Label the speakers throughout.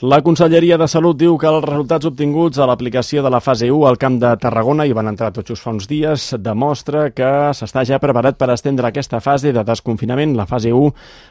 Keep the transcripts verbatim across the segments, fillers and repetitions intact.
Speaker 1: La Conselleria de Salut diu que els resultats obtinguts a l'aplicació de la fase u al Camp de Tarragona, i van entrar tots just fa uns dies, demostra que s'està ja preparat per estendre aquesta fase de desconfinament, la fase u,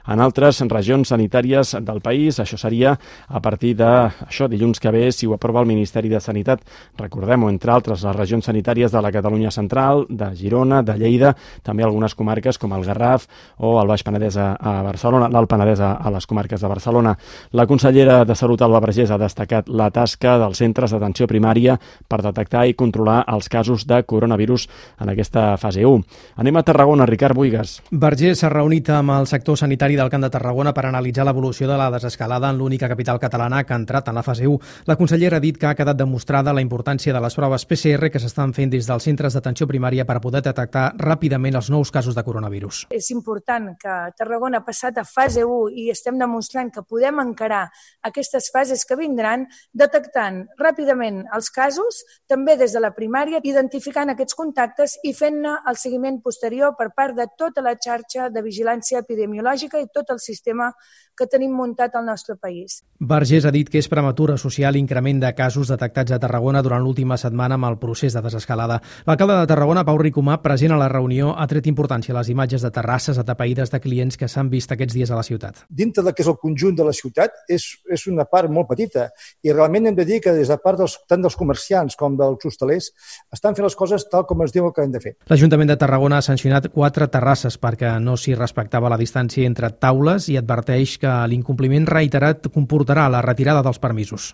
Speaker 1: en altres regions sanitàries del país. Això seria a partir de això dilluns que ve, si ho aprova el Ministeri de Sanitat. Recordem-ho, entre altres, les regions sanitàries de la Catalunya Central, de Girona, de Lleida, també algunes comarques com el Garraf o el Baix Penedès a Barcelona, l'Alt Penedès a les comarques de Barcelona. La consellera de Salut, Alba Vergés, ha destacat la tasca dels centres d'atenció primària per detectar i controlar els casos de coronavirus en aquesta fase u. Anem a Tarragona, Ricard Buigas.
Speaker 2: Vergés s'ha reunit amb el sector sanitari del Camp de Tarragona per analitzar l'evolució de la desescalada en l'única capital catalana que ha entrat en la fase u. La consellera ha dit que ha quedat demostrada la importància de les proves P C R que s'estan fent des dels centres d'atenció primària per poder detectar ràpidament els nous casos de coronavirus.
Speaker 3: És important que Tarragona ha passat a fase u i estem demostrant que podem encarar aquestes fases que vindran, detectant ràpidament els casos, també des de la primària, identificant aquests contactes i fent-ne el seguiment posterior per part de tota la xarxa de vigilància epidemiològica i tot el sistema que tenim muntat al nostre país.
Speaker 2: Vergés ha dit que és prematur associar l'increment de casos detectats a Tarragona durant l'última setmana amb el procés de desescalada. L'alcalde de Tarragona, Pau Ricomà, present a la reunió, ha tret importància a les imatges de terrasses atapeïdes de clients que s'han vist aquests dies a la ciutat.
Speaker 4: Dintre del que és el conjunt de la ciutat és, és una part molt petita i realment hem de dir que des de part dels, tant dels comerciants com dels hostalers estan fent les coses tal com es diu que hem de fer.
Speaker 2: L'Ajuntament de Tarragona ha sancionat quatre terrasses perquè no s'hi respectava la distància entre taules i adverteix que l'incompliment reiterat comportarà la retirada dels permisos.